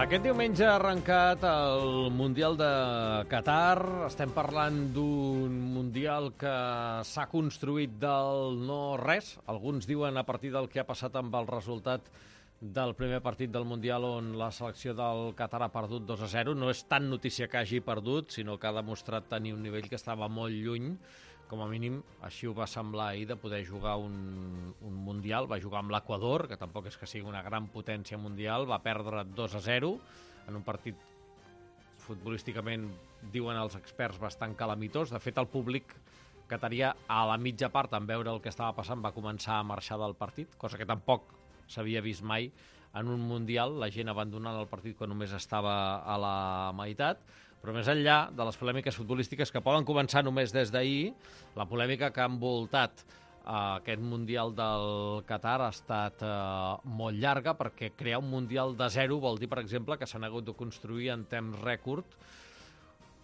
Aquest diumenge ha arrencat el Mundial de Qatar. Estem parlant d'un Mundial que s'ha construït del no-res. Alguns diuen a partir del que ha passat amb el resultat del primer partit del Mundial on la selecció del Qatar ha perdut 2-0. No és tan notícia que hagi perdut, sinó que ha demostrat tenir un nivell que estava molt lluny. Com a mínim, així ho va semblar ahir, de poder jugar un Mundial. Va jugar amb l'Equador, que tampoc és que sigui una gran potència mundial. Va perdre 2-0 en un partit futbolísticament, diuen els experts, bastant calamitós. De fet, el públic qatarià a la mitja part, en veure el que estava passant, va començar a marxar del partit, cosa que tampoc s'havia vist mai en un Mundial, la gent abandonant el partit quan només estava a la meitat. Però més enllà de les polèmiques futbolístiques que poden començar només des d'ahir, la polèmica que ha envoltat aquest Mundial del Qatar ha estat molt llarga, perquè crear un Mundial de zero vol dir, per exemple, que s'han hagut de construir en temps rècord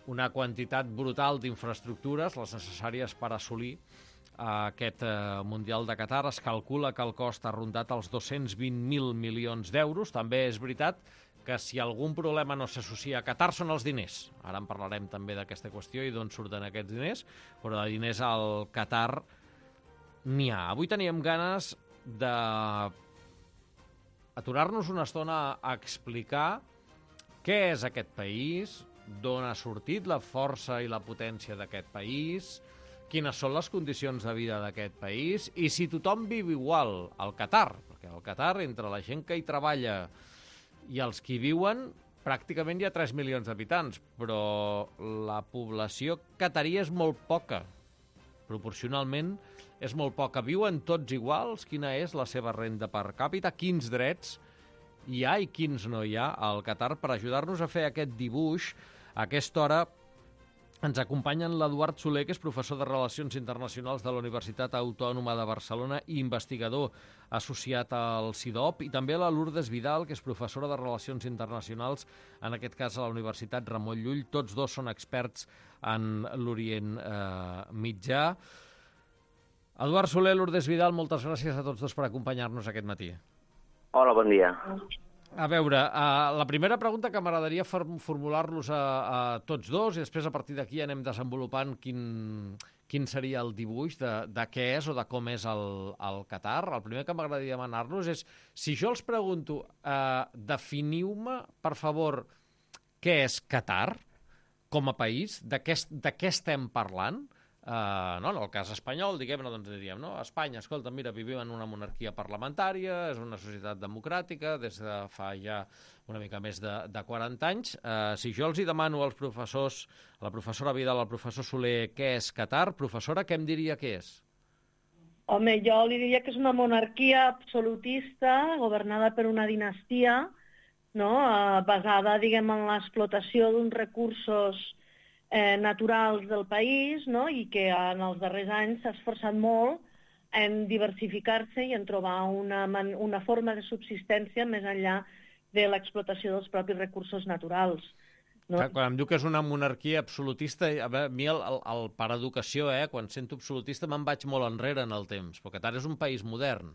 una quantitat brutal d'infraestructures, les necessàries per assolir aquest Mundial de Qatar. Es calcula que el cost ha rondat els 220.000 milions d'euros. També és veritat que si algun problema no s'associa a Qatar són els diners. Ara en parlarem també d'aquesta qüestió i d'on surten aquests diners, però de diners al Qatar n'hi ha. Avui teníem ganes d'aturar-nos una estona a explicar què és aquest país, d'on ha sortit la força i la potència d'aquest país, quines són les condicions de vida d'aquest país i si tothom viu igual al Qatar, perquè al Qatar, entre la gent que hi treballa i els que hi viuen, pràcticament hi ha 3 milions d'habitants, però la població qataria és molt poca. Proporcionalment és molt poca. Viuen tots iguals? Quina és la seva renda per càpita? Quins drets hi ha i quins no hi ha al Qatar? Per ajudar-nos a fer aquest dibuix, a aquesta hora ens acompanyen l'Eduard Soler, que és professor de Relacions Internacionals de la Universitat Autònoma de Barcelona i investigador associat al CIDOB, i també la Lourdes Vidal, que és professora de Relacions Internacionals, en aquest cas a la Universitat Ramon Llull. Tots dos són experts en l'Orient Mitjà. Eduard Soler, Lourdes Vidal, moltes gràcies a tots dos per acompanyar-nos aquest matí. Hola, bon dia. A veure, la primera pregunta que m'agradaria formular-los a tots dos i després a partir d'aquí anem desenvolupant quin seria el dibuix de què és o de com és el Qatar. El primer que m'agradaria demanar-los és, si jo els pregunto, definiu-me, per favor, què és Qatar com a país, de què estem parlant? No, en el cas espanyol, diguem-ne, doncs diríem, no? Espanya, escolta, mira, vivim en una monarquia parlamentària, és una societat democràtica des de fa ja una mica més de 40 anys. Si jo els hi demano als professors, a la professora Vidal, al professor Soler, què és Qatar, professora, què em diria que és? Home, jo li diria que és una monarquia absolutista, governada per una dinastia, no? Basada, diguem, en l'explotació d'uns recursos naturals del país, no? I que en els darrers anys s'ha esforçat molt en diversificar-se i en trobar una forma de subsistència més enllà de l'explotació dels propis recursos naturals. No? Quan em diu que és una monarquia absolutista, a mi per educació, quan sento absolutista me'n vaig molt enrere en el temps, perquè Qatar és un país modern.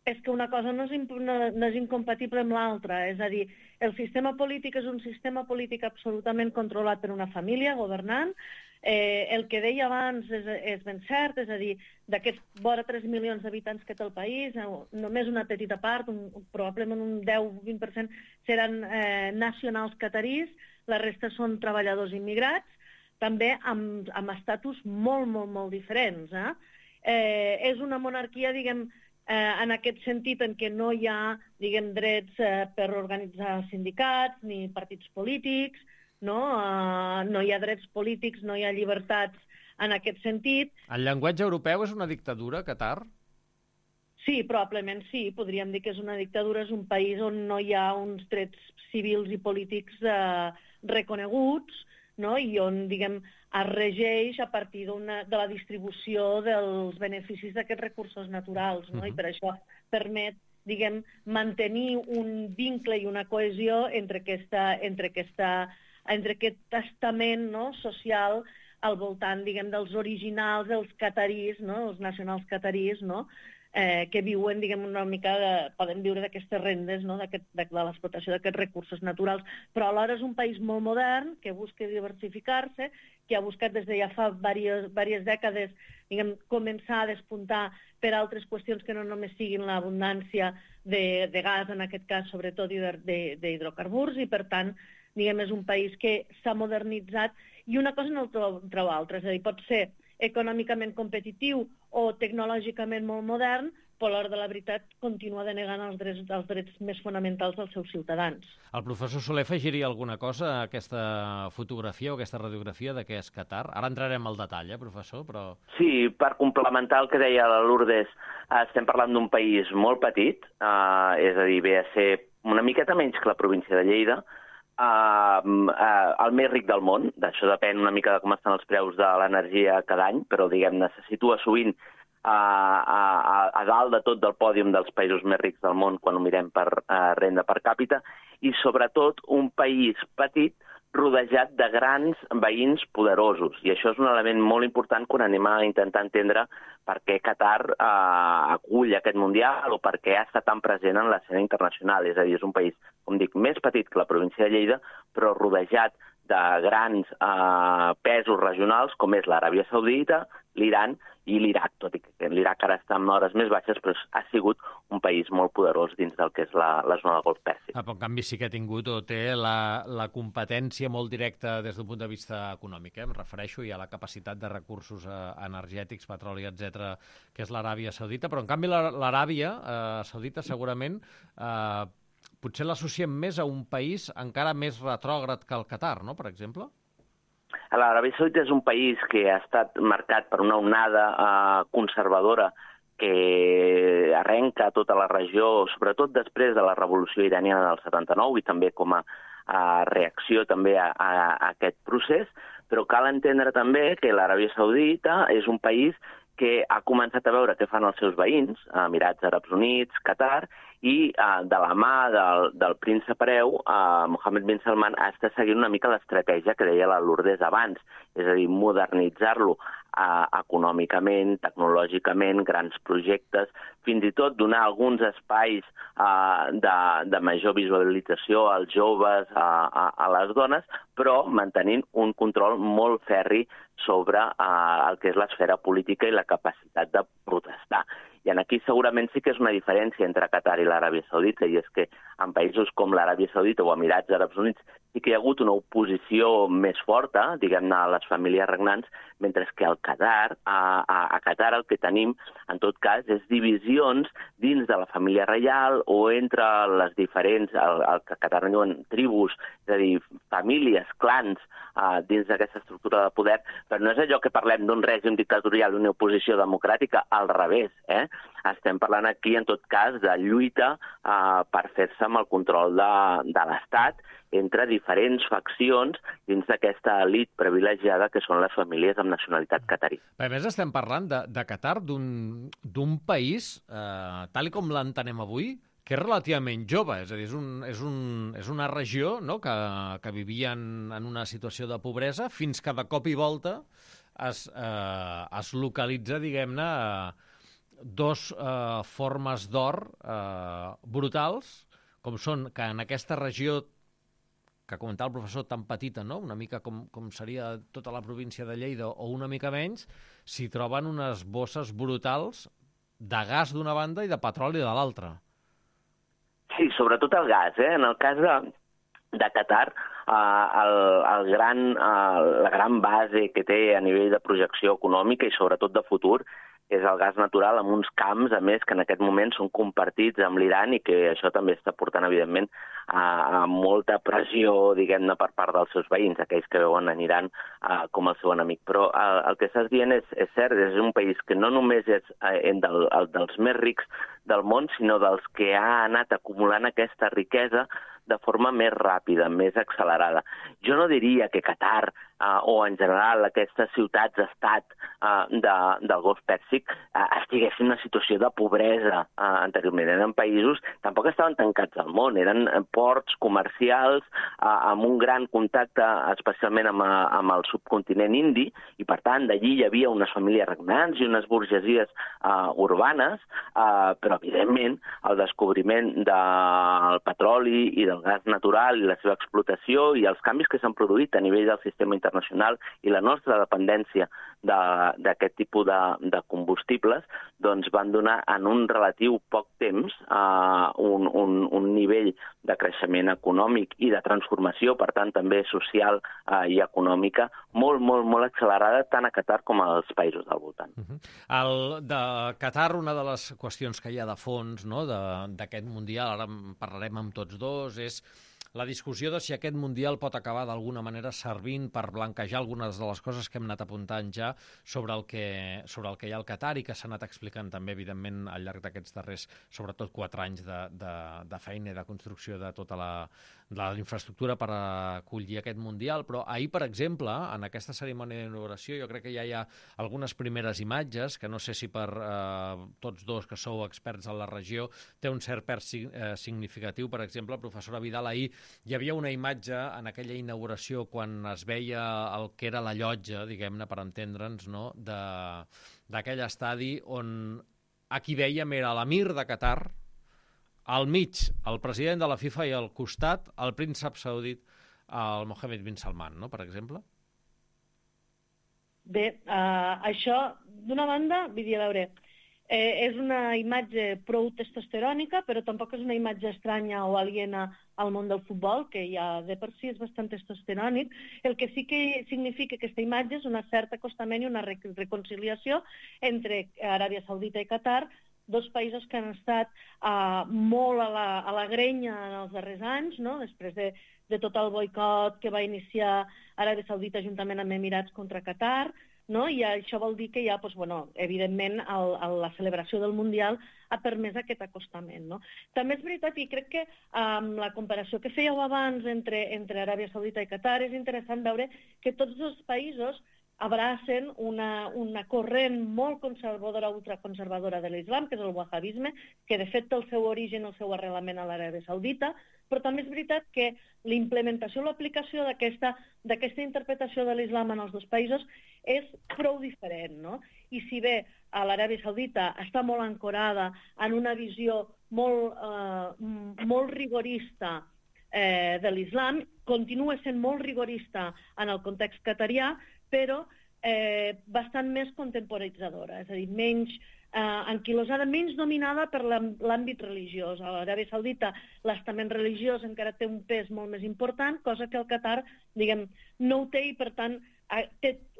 És que una cosa no és incompatible amb l'altra. És a dir, el sistema polític és un sistema polític absolutament controlat per una família governant. El que deia abans és ben cert, és a dir, d'aquests vora 3 milions d'habitants que té el país, només una petita part, probablement un 10-20%, seran nacionals qatarís, la resta són treballadors immigrats, també amb estatus molt, molt, molt diferents. És una monarquia, diguem, en aquest sentit en què no hi ha, diguem, drets per organitzar sindicats ni partits polítics, no hi ha drets polítics, no hi ha llibertats en aquest sentit. El llenguatge europeu és una dictadura, Qatar? Sí, probablement sí. Podríem dir que és una dictadura, és un país on no hi ha uns drets civils i polítics reconeguts, no? I on, diguem, es regeix a partir de la distribució dels beneficis d'aquests recursos naturals, no? I per això permet, diguem, mantenir un vincle i una cohesió entre aquest estament, no? Social al voltant, diguem, dels originals, dels qatarís, no? Els nacionals qatarís, no? que viuen, diguem, una mica, poden viure d'aquestes rendes, no? de l'explotació d'aquests recursos naturals, però alhora és un país molt modern, que busca diversificar-se, que ha buscat des de ja fa diverses dècades, diguem, començar a despuntar per altres qüestions que no només siguin l'abundància de gas, en aquest cas, sobretot, i d'hidrocarburs, i per tant, diguem, és un país que s'ha modernitzat, i una cosa no treu altra, és a dir, pot ser econòmicament competitiu o tecnològicament molt modern, però a l'hora de la veritat continua denegant els drets més fonamentals dels seus ciutadans. El professor Soler afegiria alguna cosa a aquesta fotografia o aquesta radiografia de què és Qatar? Ara entrarem al detall, professor, però... Sí, per complementar el que deia la Lourdes, estem parlant d'un país molt petit, és a dir, ve a ser una miqueta menys que la província de Lleida, el més ric del món. D'això depèn una mica de com estan els preus de l'energia cada any, però diguem-ne se situa sovint a dalt de tot del pòdium dels països més rics del món quan ho mirem per renda per càpita, i sobretot un país petit rodejat de grans veïns poderosos. I això és un element molt important quan anem a intentar entendre per què Qatar acull aquest Mundial o per què ha estat tan present en l'escena internacional. És a dir, és un país, com dic, més petit que la província de Lleida, però rodejat de grans pesos regionals com és l'Aràbia Saudita, l'Iran i l'Iraq, tot i que l'Iraq ara està en hores més baixes, però ha sigut un país molt poderós dins del que és la zona del Golf Pèrsic. Però en canvi sí que ha tingut o té la competència molt directa des d'un punt de vista econòmic. Em refereixo ja a la capacitat de recursos energètics, petroli, etc., que és l'Aràbia Saudita, però en canvi l'Aràbia Saudita segurament potser l'associem més a un país encara més retrògrad que el Qatar, no?, per exemple? L'Aràbia Saudita és un país que ha estat marcat per una onada conservadora que arrenca tota la regió, sobretot després de la revolució iraniana del 79 i també com a reacció també a aquest procés, però cal entendre també que l'Aràbia Saudita és un país que ha començat a veure què fan els seus veïns, Emirats Àrabs Units, Qatar, i de la mà del príncep hereu, Mohammed bin Salman, està seguint una mica l'estratègia que deia la Lourdes abans, és a dir, modernitzar-lo econòmicament, tecnològicament, grans projectes, fins i tot donar alguns espais de major visualització als joves, a les dones, però mantenint un control molt ferri sobre el que és l'esfera política i la capacitat de protestar. I aquí segurament sí que és una diferència entre Qatar i l'Aràbia Saudita, i és que en països com l'Aràbia Saudita o Emirats Àrabs Units sí que hi ha hagut una oposició més forta, diguem-ne, a les famílies regnants, mentre que al Qatar, a Qatar el que tenim, en tot cas, és divisions dins de la família reial o entre les diferents, el que a Qatar en diuen tribus, és a dir, famílies, clans, dins d'aquesta estructura de poder, però no és allò que parlem d'un règim dictatorial i una oposició democràtica, al revés, Estem parlant aquí, en tot cas, de lluita per fer-se amb el control de l'Estat entre diferents faccions dins d'aquesta elit privilegiada que són les famílies amb nacionalitat catarí. A més, estem parlant de Qatar, d'un país, tal com l'entenem avui, que és relativament jove, és a dir, és una regió, no?, que vivia en una situació de pobresa fins que de cop i volta es localitza, diguem-ne, dos formes d'or brutals, com són que en aquesta regió que comentava el professor, tan petita, no?, una mica com seria tota la província de Lleida o una mica menys, s'hi troben unes bosses brutals de gas d'una banda i de petroli de l'altra. Sí, sobretot el gas. En el cas de Qatar, la gran base que té a nivell de projecció econòmica i sobretot de futur és el gas natural amb uns camps, a més, que en aquest moment són compartits amb l'Iran i que això també està portant, evidentment, a molta pressió, diguem-ne, per part dels seus veïns, aquells que veuen en Iran com el seu enemic. Però el que estàs dient és cert, és un país que no només és dels més rics del món, sinó dels que ha anat acumulant aquesta riquesa de forma més ràpida, més accelerada. Jo no diria que Qatar o en general aquestes ciutats-estat del Golf Pèrsic estiguessin en una situació de pobresa anteriorment. Eren països, tampoc estaven tancats al món, eren ports comercials amb un gran contacte, especialment amb el subcontinent indi, i per tant d'allí hi havia unes famílies regnants i unes burgesies urbanes, però evidentment el descobriment del petroli i del gas natural i la seva explotació i els canvis que s'han produït a nivell del sistema internacional i la nostra dependència d'aquest tipus de combustibles, doncs van donar en un relatiu poc temps un nivell de creixement econòmic i de transformació, per tant també social i econòmica, molt, molt, molt accelerada tant a Qatar com als països del voltant. De Qatar, una de les qüestions que hi ha de fons, no, d'aquest Mundial, ara en parlarem amb tots dos, és la discussió de si aquest Mundial pot acabar d'alguna manera servint per blanquejar algunes de les coses que hem anat apuntant ja sobre el que hi ha al Qatar i que s'ha anat explicant també, evidentment, al llarg d'aquests darrers, sobretot 4 anys de feina i de construcció de tota la infraestructura per acollir aquest Mundial. Però ahir, per exemple, en aquesta cerimònia d'inauguració, jo crec que ja hi ha algunes primeres imatges, que no sé si per tots dos que sou experts en la regió té un cert pes significatiu. Per exemple, professora Vidal, ahir hi havia una imatge en aquella inauguració quan es veia el que era la llotja, diguem-ne, per entendre'ns, no?, d'aquell estadi on a qui veiem era l'emir de Qatar, al mig el president de la FIFA i al costat el príncep saudit, el Mohammed bin Salman, no?, per exemple. Bé, això, d'una banda, vull dir, a veure, és una imatge prou testosterònica, però tampoc és una imatge estranya o aliena al món del futbol, que ja de per si és bastant testosterònic. El que sí que significa aquesta imatge és un cert acostament i una reconciliació entre Aràbia Saudita i Qatar, dos països que han estat molt a la grenya en els darrers anys, no?, després de tot el boicot que va iniciar Aràbia Saudita juntament amb Emirats contra Qatar, no? I això vol dir que ja, doncs, bueno, evidentment, la celebració del Mundial ha permès aquest acostament, no? També és veritat, i crec que la comparació que fèieu abans entre Aràbia Saudita i Qatar és interessant veure que tots dos països abracen una corrent molt conservadora, ultraconservadora de l'islam, que és el wahhabisme, que de fet té el seu origen, el seu arrelament a l'Aràbia Saudita, però també és veritat que la implementació o l'aplicació d'aquesta interpretació de l'islam en els dos països és prou diferent, no? I si bé l'Aràbia Saudita està molt ancorada en una visió molt rigorista de l'islam, continua sent molt rigorista en el context qatarià, però bastant més contemporitzadora, és a dir, menys anquilosada, menys dominada per l'àmbit religiós. A l'Aràbia Saudita l'estament religiós encara té un pes molt més important, cosa que el Qatar, diguem, no ho té, i per tant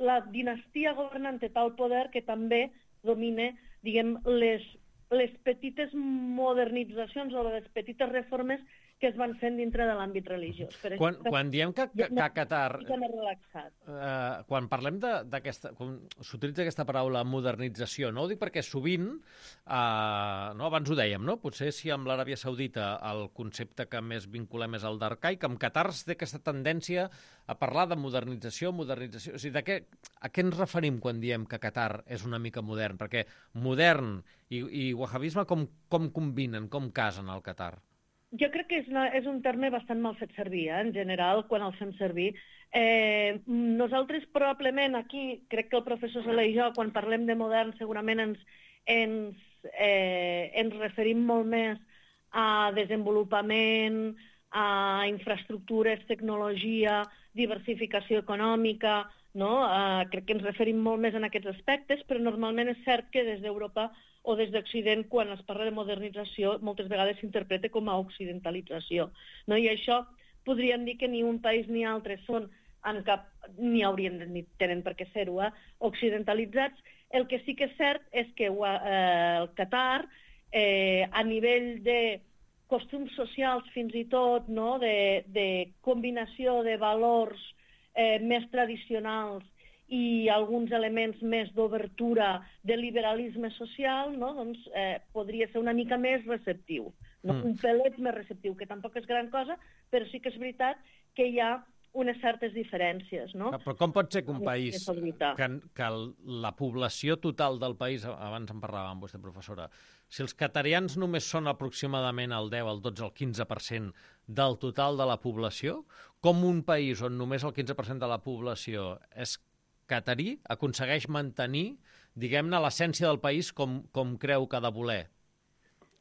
la dinastia governant té tal poder que també domina, diguem, les petites modernitzacions o les petites reformes que es van fent dintre de l'àmbit religiós. Quan diem que Qatar... Quan parlem d'aquesta... Quan s'utilitza aquesta paraula modernització, no ho dic perquè sovint, abans ho dèiem, no? Potser si amb l'Aràbia Saudita el concepte que més vinculem és el d'arcaic, amb Qatar té aquesta tendència a parlar de modernització. O sigui, a què ens referim quan diem que Qatar és una mica modern? Perquè modern i wahhabisme com combinen, com casen al Qatar? Jo crec que és un terme bastant mal fet servir, en general, quan el fem servir. Nosaltres probablement aquí, crec que el professor Soler i jo, quan parlem de modern, segurament ens referim molt més a desenvolupament, a infraestructures, tecnologia, diversificació econòmica, no? Crec que ens referim molt més en aquests aspectes, però normalment és cert que des d'Europa o des d'Occident, quan es parla de modernització, moltes vegades s'interpreta com a occidentalització, no? I això podríem dir que ni un país ni altre són ni haurien ni tenen per què ser-ho, occidentalitzats. El que sí que és cert és que el Qatar, a nivell de costums socials fins i tot, no?, de combinació de valors més tradicionals i alguns elements més d'obertura de liberalisme social, no?, doncs podria ser una mica més receptiu, no? Un pelet més receptiu, que tampoc és gran cosa, però sí que és veritat que hi ha unes certes diferències, no? Però com pot ser que un país, Possibilitar. que la població total del país, abans en parlava amb vostè, professora, si els qatarians només són aproximadament el 10, el 12, el 15% del total de la població, com un país on només el 15% de la població és catarí aconsegueix mantenir, diguem-ne, l'essència del país com creu que ha de voler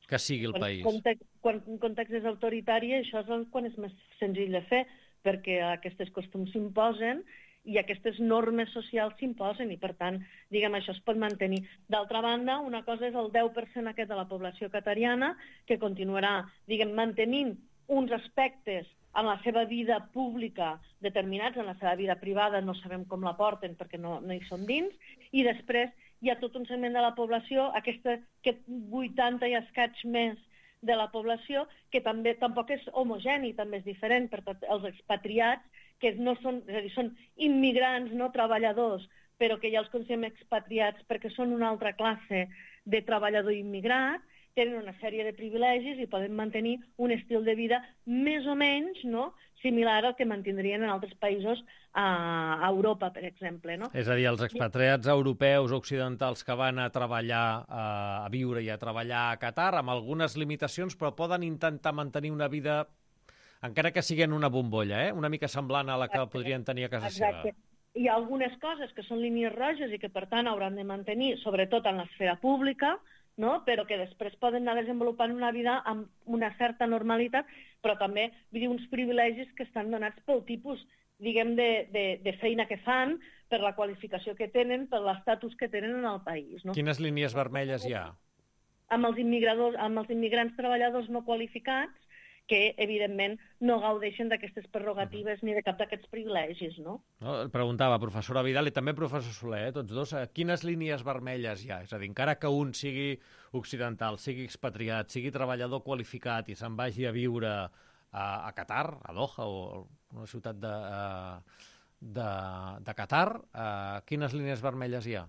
que sigui el país? Quan un context és autoritari, això és quan és més senzill de fer, perquè aquests costums s'imposen i aquestes normes socials s'imposen i, per tant, diguem, això es pot mantenir. D'altra banda, una cosa és el 10% aquest de la població catariana que continuarà, diguem, mantenint uns aspectes en la seva vida pública determinats, en la seva vida privada no sabem com la porten perquè no hi són dins, i després hi ha tot un segment de la població, aquest 80 i escaig més de la població, que també tampoc és homogeni, també és diferent, perquè els expatriats, que no són, és a dir, són immigrants, no treballadors, però que ja els considerem expatriats perquè són una altra classe de treballador immigrat, tenen una sèrie de privilegis i poden mantenir un estil de vida més o menys, no?, similar al que mantindrien en altres països a Europa, per exemple, no? És a dir, els expatriats europeus occidentals que van a treballar, a viure i a treballar a Qatar, amb algunes limitacions, però poden intentar mantenir una vida, encara que sigui en una bombolla, una mica semblant a la que podrien tenir a casa seva. Hi ha algunes coses que són línies roges i que, per tant, hauran de mantenir, sobretot en l'esfera pública, no? Però que després poden anar desenvolupant una vida amb una certa normalitat, però també uns privilegis que estan donats pel tipus, diguem, de feina que fan, per la qualificació que tenen, per l'estatus que tenen en el país. No? Quines línies vermelles hi ha? Amb els immigrants treballadors no qualificats, que, evidentment, no gaudeixen d'aquestes prerrogatives ni de cap d'aquests privilegis, no? Preguntava, professora Vidal i també professor Soler, tots dos, quines línies vermelles hi ha? És a dir, encara que un sigui occidental, sigui expatriat, sigui treballador qualificat i se'n vagi a viure a Qatar, a Doha o una ciutat de Qatar, quines línies vermelles hi ha?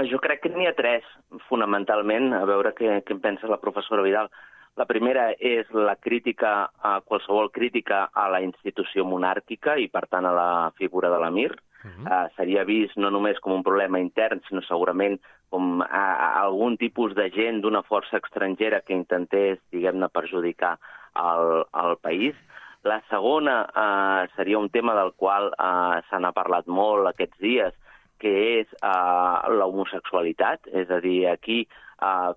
Jo crec que n'hi ha tres, fonamentalment, a veure què en pensa la professora Vidal. La primera és la crítica, qualsevol crítica a la institució monàrquica i, per tant, a la figura de l'emir. Seria vist no només com un problema intern, sinó segurament com algun tipus de gent d'una força estrangera que intentés, diguem-ne, perjudicar el país. La segona seria un tema del qual se n'ha parlat molt aquests dies, que és l'homosexualitat, és a dir, aquí,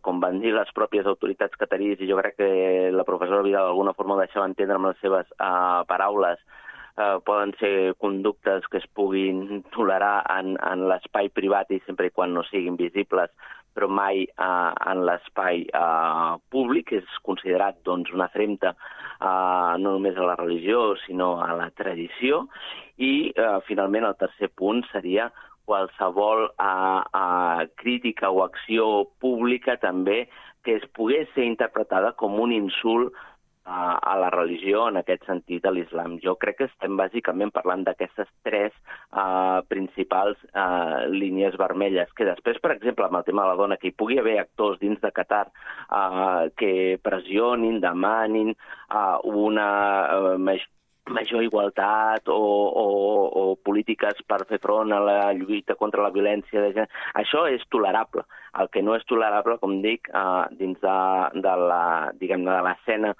com van dir les pròpies autoritats cataríes, i jo crec que la professora Vidal d'alguna forma ho deixava entendre amb les seves paraules, poden ser conductes que es puguin tolerar en l'espai privat i sempre i quan no siguin visibles, però mai en l'espai públic. És considerat doncs, una afrenta no només a la religió, sinó a la tradició. I, finalment, el tercer punt seria qualsevol crítica o acció pública també que es pogués ser interpretada com un insult a la religió, en aquest sentit, a l'islam. Jo crec que estem bàsicament parlant d'aquestes tres principals línies vermelles, que després, per exemple, amb el tema de la dona, que hi pugui haver actors dins de Qatar que pressionin, demanin una major igualtat o polítiques per fer front a la lluita contra la violència de gènere. Això és tolerable. El que no és tolerable, com dic, dins de l'escena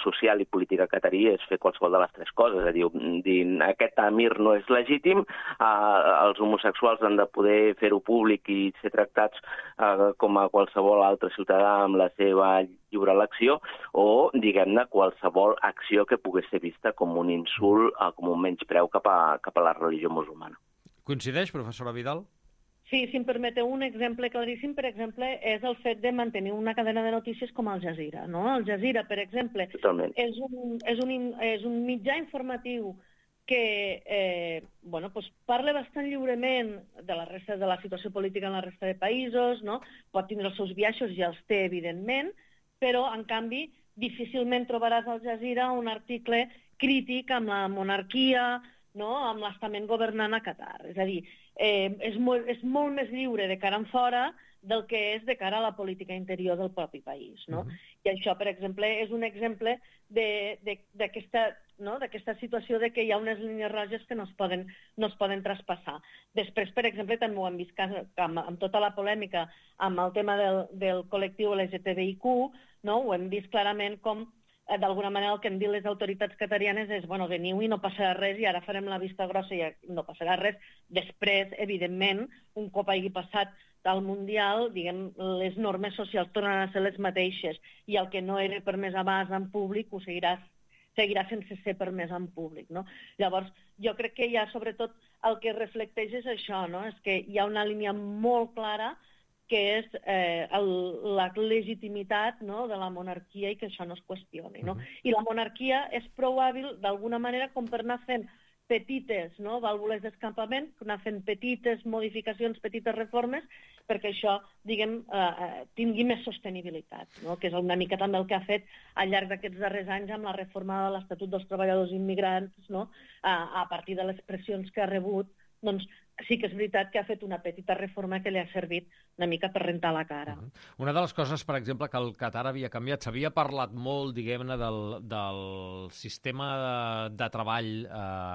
social i política catarí és fer qualsevol de les tres coses. És a dir, aquest emir no és legítim, els homosexuals han de poder fer-ho públic i ser tractats com a qualsevol altre ciutadà amb la seva lliure elecció, o, diguem-ne, qualsevol acció que pogués ser vista com un insult, com un menyspreu cap a la religió musulmana. Coincideix, professora Vidal? Sí, si em permeteu un exemple claríssim, per exemple, és el fet de mantenir una cadena de notícies com Al Jazeera. No? Al Jazeera, per exemple, és un mitjà informatiu que parla bastant lliurement de la resta de la situació política en la resta de països, no? Pot tindre els seus biaixos, ja els té, evidentment, però, en canvi, difícilment trobaràs al Jazeera un article crític amb la monarquia, no? Amb l'estament governant a Qatar. És a dir, és molt més lliure de cara en fora del que és de cara a la política interior del propi país, no? I això, per exemple, és un exemple d'aquesta situació de que hi ha unes línies roges que no es poden traspassar. Després, per exemple, també ho hem vist amb tota la polèmica amb el tema del col·lectiu LGTBIQ, no? Ho hem vist clarament com d'alguna manera el que han dit les autoritats qatarianes és veniu i no passarà res i ara farem la vista grossa i no passarà res. Després, evidentment, un cop hagi passat del Mundial, diguem, les normes socials tornen a ser les mateixes i el que no era permès abans en públic ho seguirà sense ser permès en públic, no? Llavors, jo crec que ja, sobretot, el que reflecteix és això, no? És que hi ha una línia molt clara que és la legitimitat, no?, de la monarquia i que això no es qüestioni, no? I la monarquia és prou hàbil, d'alguna manera, com per anar fent petites, no?, vàlvules d'escampament, anar fent petites modificacions, petites reformes, perquè això, diguem, tingui més sostenibilitat, no?, que és una mica també el que ha fet al llarg d'aquests darrers anys amb la reforma de l'Estatut dels Treballadors Immigrants, no?, a partir de les pressions que ha rebut, doncs sí que és veritat que ha fet una petita reforma que li ha servit una mica per rentar la cara. Una de les coses, per exemple, que el Qatar havia canviat, s'havia parlat molt, diguem-ne, del sistema de treball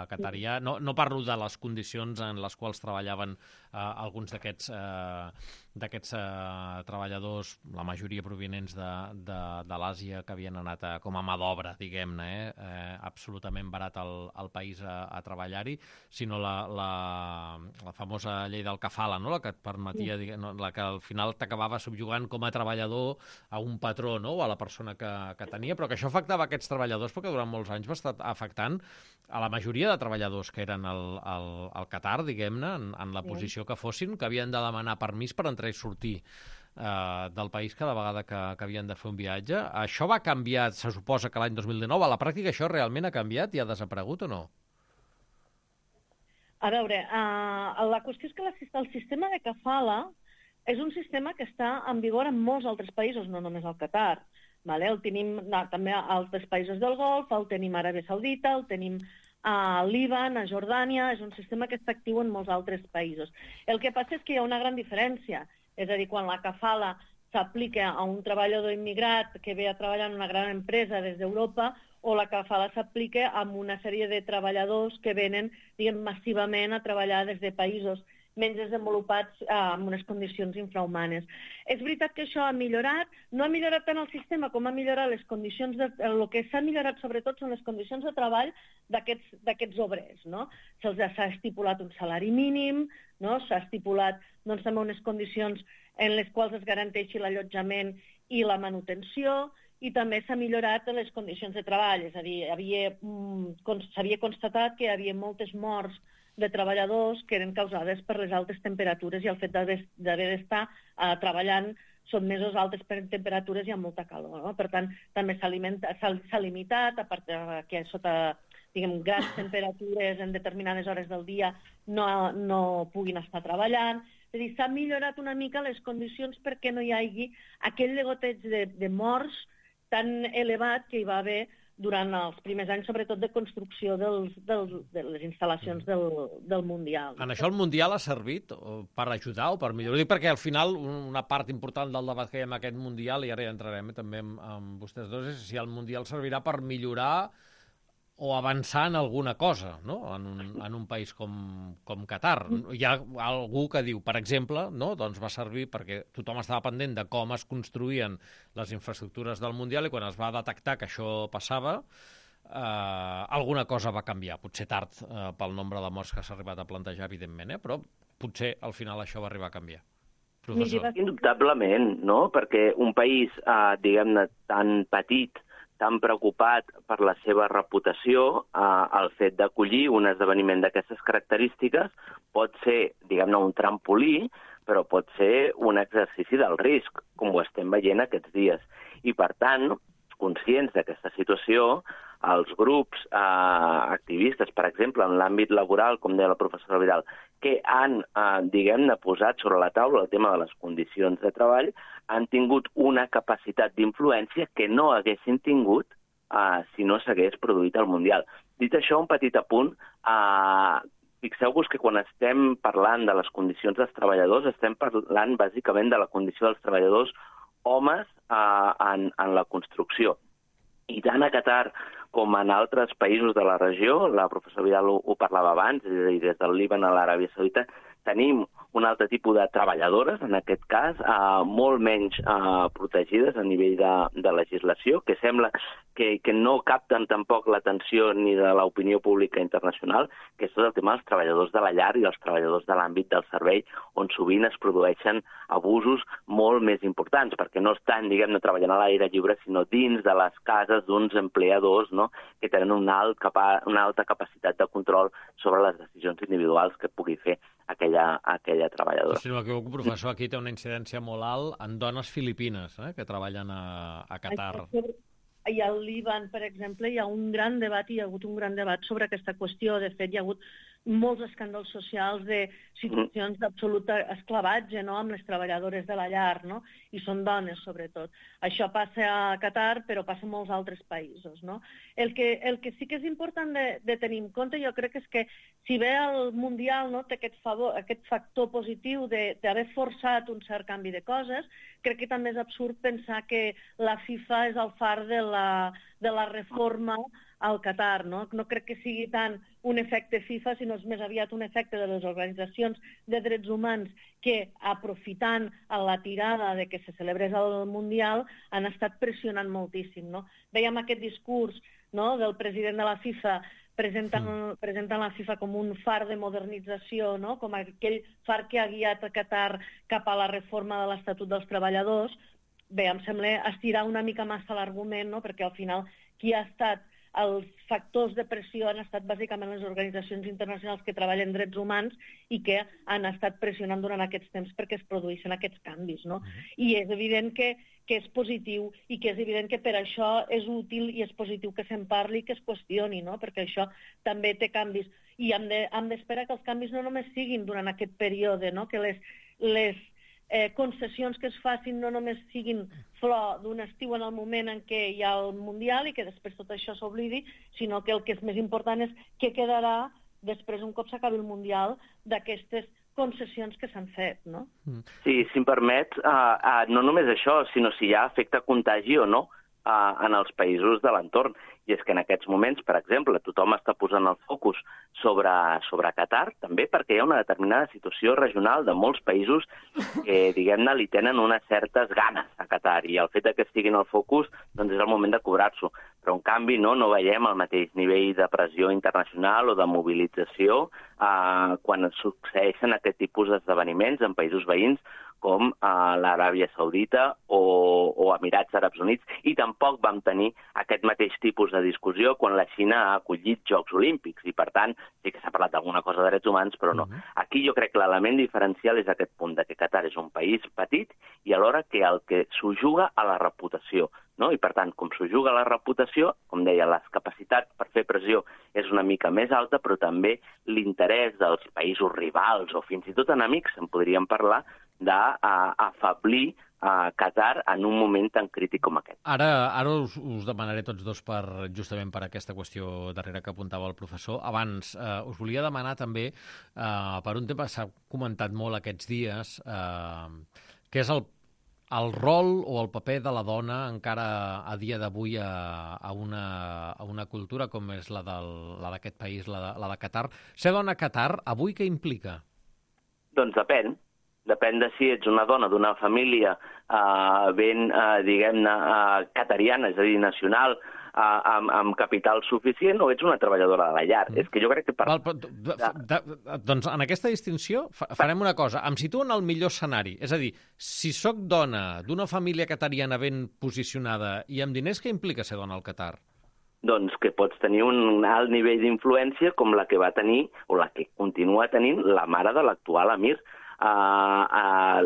qatarià. No parlo de les condicions en les quals treballaven alguns d'aquests treballadors, la majoria provinents de l'Àsia, que havien anat com a mà d'obra, diguem-ne, absolutament barat al país a treballar-hi, sinó la famosa llei del kafala, no?, la que et permetia, la que al final t'acabava subjugant com a treballador a un patró, no?, o a la persona que tenia, però que això afectava aquests treballadors perquè durant molts anys va estar afectant a la majoria de treballadors que eren al Qatar, diguem-ne, en la posició que fossin, que havien de demanar permís per entrar i sortir del país cada vegada que havien de fer un viatge. Això va canviar, se suposa que l'any 2019, a la pràctica això realment ha canviat i ha desaparegut o no? A veure, la qüestió és que el sistema de kafala és un sistema que està en vigor en molts altres països, no només al Qatar. El tenim també a altres països del Golf, el tenim a Aràbia Saudita, el tenim a Líban, a Jordània, és un sistema que està actiu en molts altres països. El que passa és que hi ha una gran diferència, és a dir, quan la kafala s'aplica a un treballador immigrat que ve a treballar en una gran empresa des d'Europa, o la kafala s'aplica a una sèrie de treballadors que venen, diguem, massivament a treballar des de països menys desenvolupats amb unes condicions infrahumanes. És veritat que això ha millorat, no ha millorat tant el sistema com ha millorat les condicions, el que s'ha millorat sobretot són les condicions de treball d'aquests obrers, no? Se'ls ha estipulat un salari mínim, no? S'ha estipulat també unes condicions en les quals es garanteixi l'allotjament i la manutenció, i també s'ha millorat les condicions de treball, és a dir, s'havia constatat que hi havia moltes morts de treballadors que eren causades per les altes temperatures i el fet d'haver d'estar treballant sotmesos a altes temperatures i amb molta calor, no? Per tant, també s'ha limitat, a part que sota, diguem, grans temperatures en determinades hores del dia no puguin estar treballant. És a dir, s'ha millorat una mica les condicions perquè no hi hagi aquell degoteig de morts tan elevat que hi va haver durant els primers anys, sobretot de construcció de les instal·lacions del Mundial. En això el Mundial ha servit per ajudar o per millorar? Dic perquè al final una part important del debat que hi ha en aquest Mundial, i ara ja entrarem també amb vostès dos, és si el Mundial servirà per millorar o avançar en alguna cosa, no?, en un país com Qatar. Hi ha algú que diu, per exemple, no?, doncs va servir perquè tothom estava pendent de com es construïen les infraestructures del Mundial i quan es va detectar que això passava, alguna cosa va canviar. Potser tard pel nombre de morts que s'ha arribat a plantejar, evidentment, però potser al final això va arribar a canviar. Professor. Indubtablement, no?, perquè un país, diguem-ne, tan petit, tan preocupat per la seva reputació, el fet d'acollir un esdeveniment d'aquestes característiques pot ser, diguem-ne, un trampolí, però pot ser un exercici del risc, com ho estem veient aquests dies. I, per tant, conscients d'aquesta situació, els grups activistes, per exemple, en l'àmbit laboral, com deia la professora Vidal, que han, diguem-ne, posat sobre la taula el tema de les condicions de treball, han tingut una capacitat d'influència que no haguessin tingut si no s'hagués produït el Mundial. Dit això, un petit apunt, fixeu-vos que quan estem parlant de les condicions dels treballadors, estem parlant bàsicament de la condició dels treballadors homes en la construcció. I tant a Qatar com en altres països de la regió, la professora Vidal ho parlava abans, és a dir, des del Líban a l'Aràbia Saudita, tenim un altre tipus de treballadores, en aquest cas, molt menys protegides a nivell de legislació, que sembla que no capten tampoc l'atenció ni de l'opinió pública internacional, que és tot el tema dels treballadors de la llar i els treballadors de l'àmbit del servei, on sovint es produeixen abusos molt més importants, perquè no estan, diguem-ne, treballant a l'aire lliure, sinó dins de les cases d'uns empleadors, no?, que tenen una alta capacitat de control sobre les decisions individuals que pugui fer aquella treballadora. Si no m'equivoco, professor, aquí té una incidència molt alt en dones filipines que treballen a Qatar. I al Líban, per exemple, hi ha un gran debat, hi ha hagut un gran debat sobre aquesta qüestió. De fet, hi ha hagut molts escàndols socials de situacions d'absolut esclavatge, no?, amb les treballadores de la llar, no?, i són dones, sobretot. Això passa a Qatar, però passa a molts altres països, no? El que sí que és important de tenir en compte, jo crec, és que si bé el Mundial, no?, té aquest factor positiu d'haver forçat un cert canvi de coses, crec que també és absurd pensar que la FIFA és el far de la reforma al Qatar, no? No crec que sigui tant un efecte FIFA, sinó és més aviat un efecte de les organitzacions de drets humans que, aprofitant la tirada de que se celebrés el Mundial, han estat pressionant moltíssim, no? Vèiem aquest discurs, no?, del president de la FIFA presentant la FIFA com un far de modernització, no?, com aquell far que ha guiat a Qatar cap a la reforma de l'Estatut dels Treballadors. Bé, em sembla estirar una mica massa l'argument, no?, perquè al final qui ha estat els factors de pressió han estat bàsicament les organitzacions internacionals que treballen drets humans i que han estat pressionant durant aquests temps perquè es produeixen aquests canvis, no? I és evident que és positiu i que és evident que per això és útil i és positiu que se'n parli i que es qüestioni, no?, perquè això també té canvis. I hem d'esperar que els canvis no només siguin durant aquest període, no?, que les concessions que es facin no només siguin flor d'un estiu en el moment en què hi ha el Mundial i que després tot això s'oblidi, sinó que el que és més important és què quedarà després, un cop s'acabi el Mundial, d'aquestes concessions que s'han fet, no? Sí, si em permet, no només això, sinó si hi ha efecte contagi o no en els països de l'entorn. I és que en aquests moments, per exemple, tothom està posant el focus sobre Qatar, també perquè hi ha una determinada situació regional de molts països que, diguem-ne, li tenen unes certes ganes a Qatar, i el fet que estiguin al focus doncs és el moment de cobrar-s'ho. Però, en canvi, no veiem el mateix nivell de pressió internacional o de mobilització quan succeeixen aquest tipus d'esdeveniments en països veïns com l'Aràbia Saudita o Emirats Àrabs Units, i tampoc vam tenir aquest mateix tipus de discussió quan la Xina ha acollit Jocs Olímpics, i per tant sí que s'ha parlat d'alguna cosa de drets humans, però no. Aquí jo crec que l'element diferencial és aquest punt, de que Qatar és un país petit i alhora que el que s'ho juga a la reputació, no? I per tant, com s'ho juga a la reputació, com deia, les capacitats per fer pressió és una mica més alta, però també l'interès dels països rivals o fins i tot enemics, en podríem parlar, d'afablir Qatar en un moment tan crític com aquest. Ara us demanaré tots dos justament per aquesta qüestió darrere que apuntava el professor. Abans, us volia demanar també, per un tema que s'ha comentat molt aquests dies, que és el rol o el paper de la dona encara a dia d'avui a una cultura com és la d'aquest país, la de Qatar. Ser dona a Qatar, avui què implica? Doncs depèn. Depèn de si ets una dona d'una família ben, diguem-ne, qatariana, és a dir, nacional, amb capital suficient, o ets una treballadora de la llar. És que jo crec que... Doncs en aquesta distinció farem una cosa. Em situo en el millor escenari. És a dir, si sóc dona d'una família qatariana ben posicionada i amb diners, què implica ser dona al Qatar? Doncs que pots tenir un alt nivell d'influència com la que va tenir, o la que continua tenint, la mare de l'actual emir. La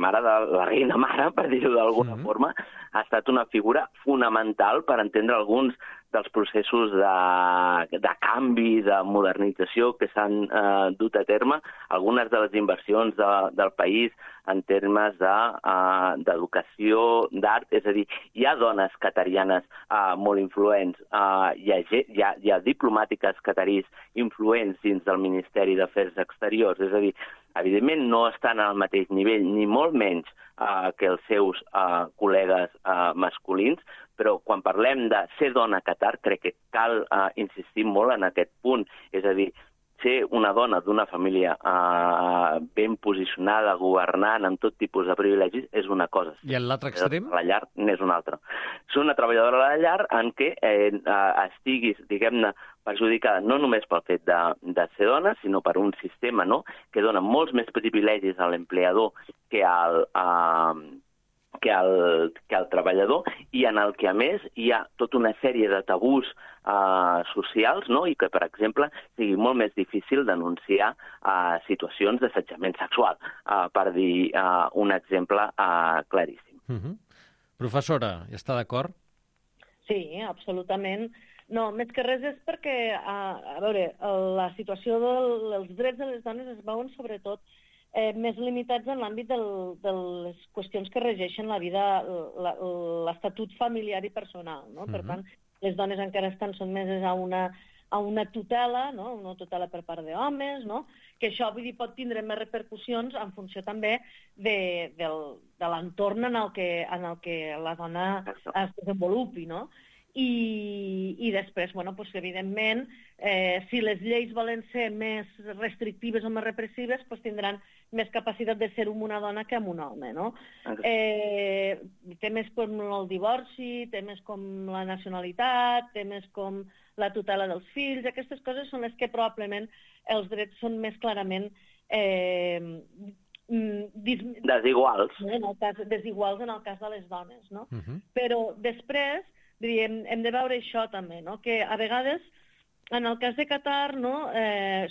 mare de la reina mare, per dir-ho d'alguna forma, ha estat una figura fonamental per entendre alguns dels processos de canvi, de modernització que s'han dut a terme, algunes de les inversions del país en termes d'educació, d'art, és a dir, hi ha dones qatarianes molt influents, hi ha diplomàtiques qatarís influents dins del Ministeri d'Afers Exteriors, és a dir, evidentment no estan al mateix nivell, ni molt menys que els seus col·legues masculins, però quan parlem de ser dona a Qatar crec que cal insistir molt en aquest punt, és a dir, ser una dona d'una família ben posicionada, governant, amb tot tipus de privilegis, és una cosa. I en l'altre extrem? A la llar n'és una altra. Ser una treballadora a la llar en què estiguis, diguem-ne, perjudicada no només pel fet de ser dona, sinó per un sistema, no?, que dona molts més privilegis a l'empleador que al treballador, i en el que, a més, hi ha tota una sèrie de tabús socials, no?, i que, per exemple, sigui molt més difícil denunciar situacions d'assetjament sexual, per dir un exemple claríssim. Professora, hi està d'acord? Sí, absolutament. No, més que res és perquè, a veure, la situació dels drets de les dones es veuen sobretot més limitats en l'àmbit de les qüestions que regeixen la vida, l'estatut familiar i personal, no? Per tant, les dones encara estan sotmeses a una tutela, no?, una tutela per part d'homes, no?, que això, vull dir, pot tindre més repercussions en funció també de l'entorn en el que la dona es desenvolupi, no? I després, bueno, doncs, evidentment, si les lleis volen ser més restrictives o més repressives, doncs tindran més capacitat de ser una dona que un home, no? Temes com el divorci, temes com la nacionalitat, temes com la tutela dels fills, aquestes coses són les que probablement els drets són més clarament desiguals. Desiguals en el cas de les dones, no? Però després hem de veure això també, no?, que a vegades, en el cas de Qatar, no?,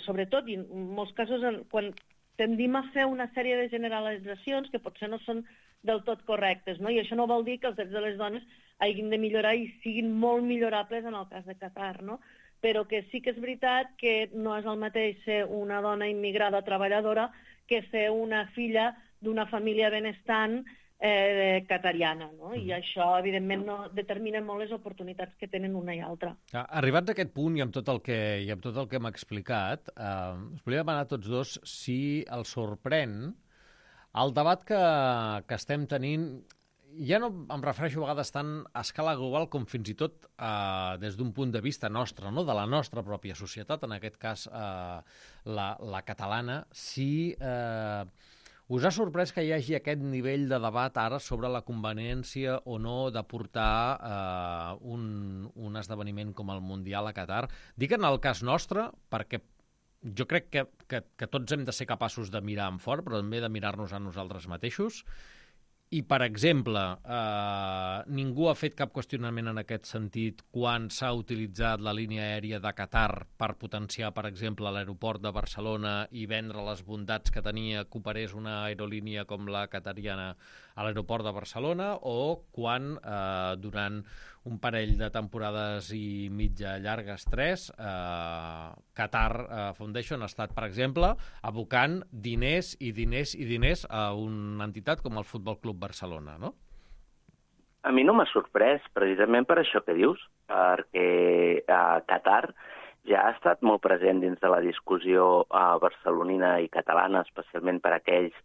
sobretot, i en molts casos, quan tendim a fer una sèrie de generalitzacions que potser no són del tot correctes, no?, i això no vol dir que els drets de les dones hagin de millorar i siguin molt millorables en el cas de Qatar, no?, però que sí que és veritat que no és el mateix ser una dona immigrada treballadora que ser una filla d'una família benestant qatariana, no? I això, evidentment, no determina molt les oportunitats que tenen una i altra. Arribats a aquest punt i amb tot el que hem explicat, us volia demanar a tots dos si els sorprèn el debat que estem tenint. Ja no em refereixo a vegades tant a escala global com fins i tot des d'un punt de vista nostre, no?, de la nostra pròpia societat, en aquest cas la catalana, si us ha sorprès que hi hagi aquest nivell de debat ara sobre la conveniència o no de portar un esdeveniment com el Mundial a Qatar? Dic en el cas nostre perquè jo crec que tots hem de ser capaços de mirar en fort, però també de mirar-nos a nosaltres mateixos. I, per exemple, ningú ha fet cap qüestionament en aquest sentit quan s'ha utilitzat la línia aèria de Qatar per potenciar, per exemple, l'aeroport de Barcelona i vendre les bondats que tenia que operés una aerolínia com la qatariana a l'aeroport de Barcelona, o quan durant un parell de temporades i mitja llargues, 3, Qatar Foundation ha estat, per exemple, abocant diners i diners i diners a una entitat com el Futbol Club Barcelona, no? A mi no m'ha sorprès, precisament per això que dius, perquè Qatar ja ha estat molt present dins de la discussió barcelonina i catalana, especialment per aquells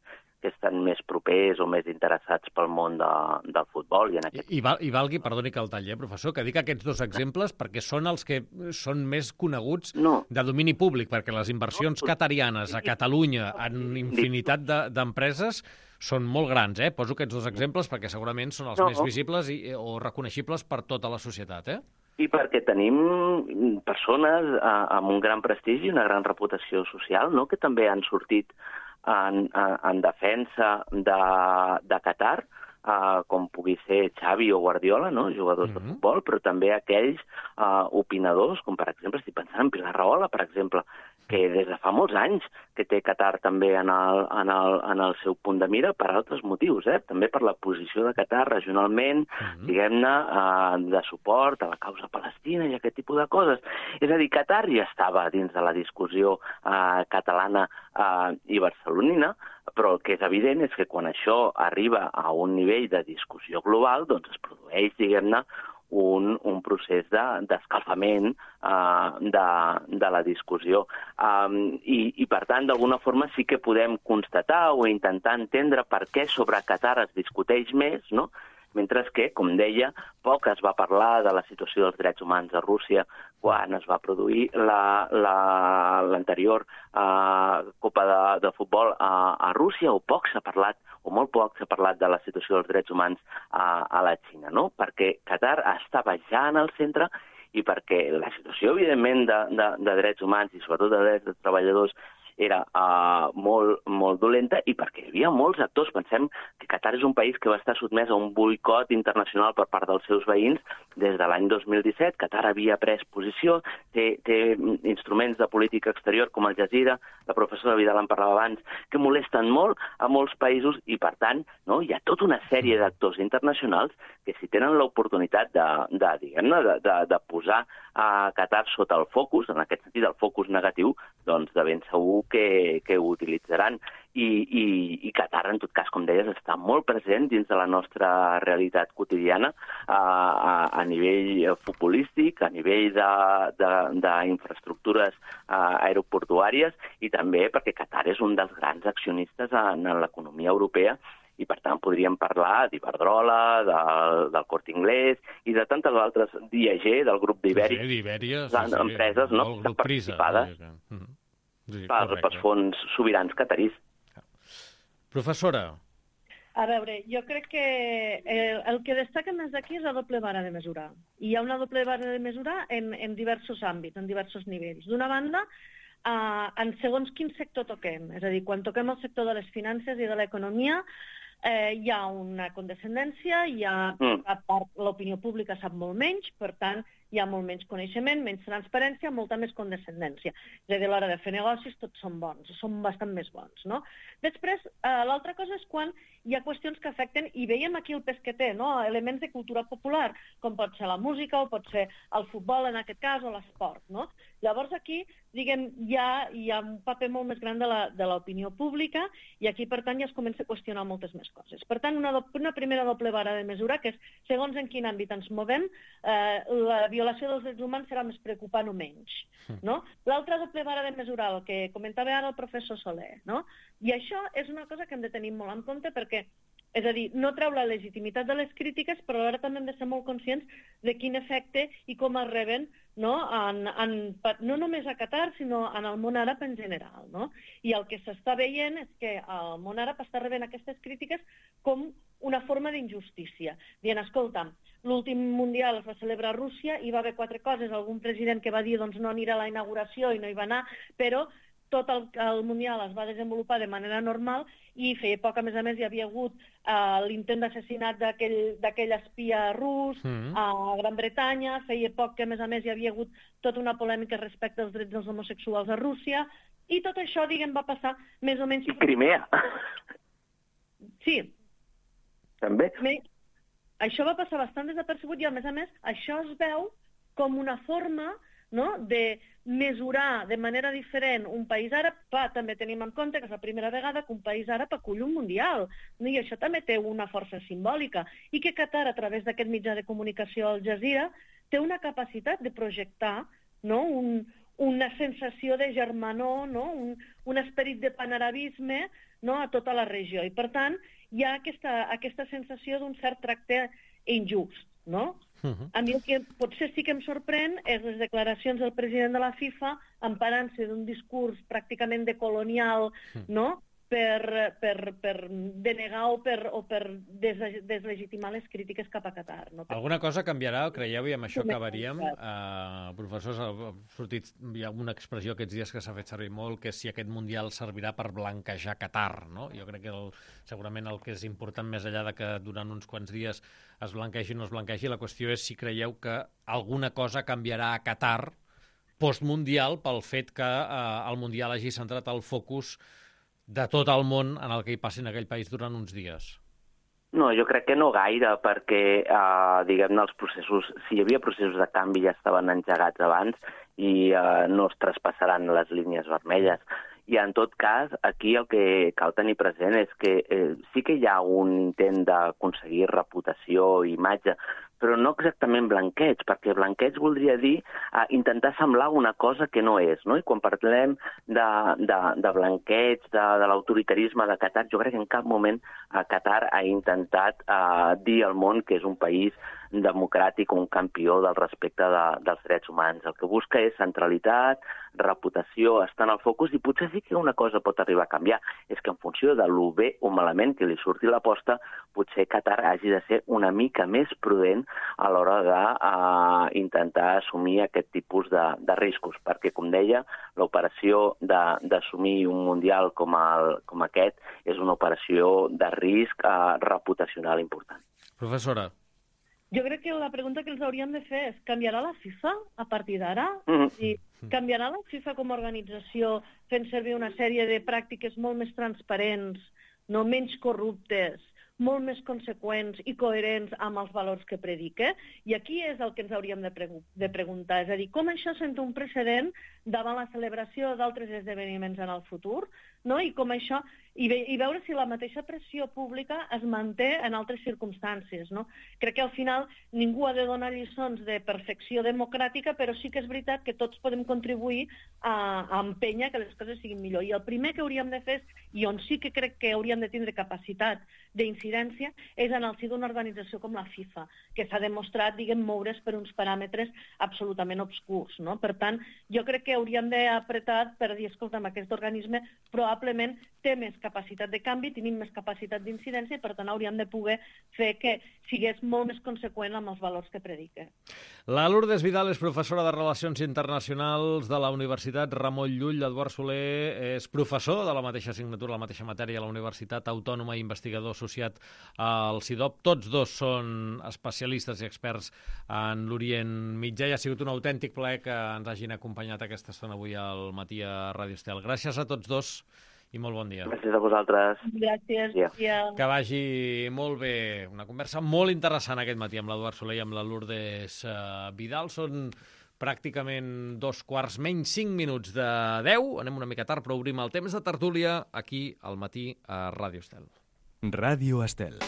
que estan més propers o més interessats pel món del futbol. I valgui, perdoni que el talli, professor, que dic aquests dos exemples perquè són els que són més coneguts de domini públic, perquè les inversions qatarianes a Catalunya en infinitat d'empreses són molt grans, eh? Poso aquests dos exemples perquè segurament són els més visibles o reconeixibles per tota la societat, eh? I perquè tenim persones amb un gran prestigi i una gran reputació social, no?, que també han sortit en defensa de Qatar, com pugui ser Xavi o Guardiola, no?, jugadors de futbol, però també aquells opinadors, com per exemple, estic pensant en Pilar Rahola, per exemple, que des de fa molts anys que té Qatar també en el seu punt de mira per altres motius, també per la posició de Qatar regionalment, diguem-ne, de suport a la causa palestina i aquest tipus de coses. És a dir, Qatar ja estava dins de la discussió catalana i barcelonina, però el que és evident és que quan això arriba a un nivell de discussió global, doncs es produeix, diguem-ne, un procés d'escalfament de la discussió. I, per tant, d'alguna forma sí que podem constatar o intentar entendre per què sobre Qatar es discuteix més, no? Mentre que, com deia, poc es va parlar de la situació dels drets humans a Rússia quan es va produir l'anterior Copa de Futbol a Rússia, o poc s'ha parlat, o molt poc s'ha parlat de la situació dels drets humans a la Xina, no? Perquè Qatar estava ja en el centre i perquè la situació, evidentment, de drets humans i sobretot de drets de treballadors era molt dolenta i perquè hi havia molts actors. Pensem que Qatar és un país que va estar sotmès a un boicot internacional per part dels seus veïns des de l'any 2017. Qatar havia pres posició, té instruments de política exterior com Al Jazeera, la professora Vidal en parlava abans, que molesten molt a molts països i, per tant, no, hi ha tota una sèrie d'actors internacionals que si tenen l'oportunitat de posar a Qatar sota el focus, en aquest sentit el focus negatiu, doncs de ben segur que ho utilitzaran. I Qatar, en tot cas, com deies, està molt present dins de la nostra realitat quotidiana a nivell futbolístic, a nivell d'infraestructures aeroportuàries i també perquè Qatar és un dels grans accionistes en l'economia europea i, per tant, podríem parlar d'Iberdrola, del Corte Inglés i de tantes altres, d'IAG, del grup d'Ibèria, empreses participades pels fons sobirans qatarís. Professora. A veure, jo crec que el que destaca més d'aquí és la doble vara de mesurar. I hi ha una doble vara de mesurar en diversos àmbits, en diversos nivells. D'una banda, en segons quin sector toquem. És a dir, quan toquem el sector de les finances i de l'economia, hi ha una condescendència, l'opinió pública sap molt menys, per tant, hi ha molt menys coneixement, menys transparència, molta més condescendència. És a dir, a l'hora de fer negocis tots són bons, són bastant més bons, no? Després, l'altra cosa és quan hi ha qüestions que afecten, i veiem aquí el pes que té, no? Elements de cultura popular, com pot ser la música o pot ser el futbol, en aquest cas, o l'esport, no? Llavors aquí, diguem, hi ha un paper molt més gran de l'opinió pública i aquí, per tant, ja es comença a qüestionar moltes més coses. Per tant, una primera doble vara de mesura, que és segons en quin àmbit ens movem, la violació dels drets humans serà més preocupant o menys, no? L'altra doble vara de mesurar, el que comentava ara el professor Soler, no? I això és una cosa que hem de tenir molt en compte perquè, és a dir, no treu la legitimitat de les crítiques, però alhora també hem de ser molt conscients de quin efecte i com es reben, no només a Qatar, sinó en el món àrab en general, no? I el que s'està veient és que el món àrab està rebent aquestes crítiques com una forma d'injustícia. Dient, escolta, l'últim Mundial es va celebrar a Rússia i va haver 4 coses. Algun president que va dir doncs, no anirà a la inauguració i no hi va anar, però tot el Mundial es va desenvolupar de manera normal i feia poc, a més, hi havia hagut l'intent d'assassinat d'aquell espia rus a Gran Bretanya, feia poc que, a més, hi havia hagut tota una polèmica respecte als drets dels homosexuals a Rússia, i tot això, diguem, va passar més o menys... I Crimea. Sí. També. Això va passar bastant desapercebut i, a més, això es veu com una forma, no?, de mesurar de manera diferent un país àrab. Clar, també tenim en compte que és la primera vegada que un país àrab acull un mundial, i això també té una força simbòlica, i que Qatar, a través d'aquest mitjà de comunicació Al Jazeera, té una capacitat de projectar, no?, una sensació de germanor, no?, un esperit de panarabisme, no?, a tota la regió. I, per tant, hi ha aquesta sensació d'un cert tracte injust, no? A mi el que potser sí que em sorprèn és les declaracions del president de la FIFA emparant-se d'un discurs pràcticament decolonial, no?, per denegar o per deslegitimar les crítiques cap a Qatar. No? Alguna cosa canviarà, creieu, i amb això acabaríem? Professors, hi ha una expressió aquests dies que s'ha fet servir molt, que és si aquest Mundial servirà per blanquejar Qatar, no? Jo crec que segurament el que és important, més enllà de que durant uns quants dies es blanquegi o no es blanquegi, la qüestió és si creieu que alguna cosa canviarà a Qatar postmundial pel fet que el Mundial hagi centrat el focus de tot el món en el que hi passi en aquell país durant uns dies. No, jo crec que no gaire, perquè, diguem-ne, els processos, si hi havia processos de canvi ja estaven engegats abans i no es traspassaran les línies vermelles. I en tot cas, aquí el que cal tenir present és que sí que hi ha un intent d'aconseguir reputació i imatge, però no exactament blanqueig, perquè blanqueig voldria dir intentar semblar una cosa que no és, no? I quan parlem de blanqueig, de l'autoritarisme de Qatar, jo crec que en cap moment Qatar ha intentat dir al món que és un país democràtic, un campió del respecte dels drets humans. El que busca és centralitat, reputació, estar en el focus, i potser sí que una cosa pot arribar a canviar. És que en funció de lo bé o malament que li surti l'aposta, potser Qatar hagi de ser una mica més prudent a l'hora d'intentar assumir aquest tipus de riscos, perquè, com deia, l'operació d'assumir un mundial com aquest és una operació de risc reputacional important. Professora. Jo crec que la pregunta que els hauríem de fer és: canviarà la FIFA a partir d'ara? Canviarà la FIFA com a organització fent servir una sèrie de pràctiques molt més transparents, no menys corruptes, molt més conseqüents i coherents amb els valors que predica? I aquí és el que ens hauríem de preguntar. És a dir, com això sent un precedent davant la celebració d'altres esdeveniments en el futur, no? I com això, i veure si la mateixa pressió pública es manté en altres circumstàncies, no? Crec que al final ningú ha de donar lliçons de perfecció democràtica, però sí que és veritat que tots podem contribuir a empènyer que les coses siguin millor. I el primer que hauríem de fer, i on sí que crec que hauríem de tindre capacitat d'incidència, és en el si d'una organització com la FIFA, que s'ha demostrat, moure's per uns paràmetres absolutament obscurs, no? Per tant, jo crec que hauríem d'apretar per dir, escolta'm, aquest organisme probablement té més capacitat de canvi, tenim més capacitat d'incidència, i per tant hauríem de poder fer que sigués molt més conseqüent amb els valors que predica. La Lourdes Vidal és professora de Relacions Internacionals de la Universitat Ramon Llull. L'Eduard Soler és professor de la mateixa assignatura, la mateixa matèria, a la Universitat Autònoma i investigador associat al CIDOB. Tots dos són especialistes i experts en l'Orient Mitjà, i ha sigut un autèntic plaer que ens hagin acompanyat aquesta estona avui al matí a Ràdio Estel. Gràcies a tots dos i molt bon dia. Gràcies a vosaltres. Gràcies. Que vagi molt bé. Una conversa molt interessant aquest matí amb l'Eduard Soler i amb la Lourdes Vidal. Són pràcticament 5:15 de 10. Anem una mica tard, però obrim el temps de tertúlia aquí al matí a Ràdio Estel. Ràdio Estel.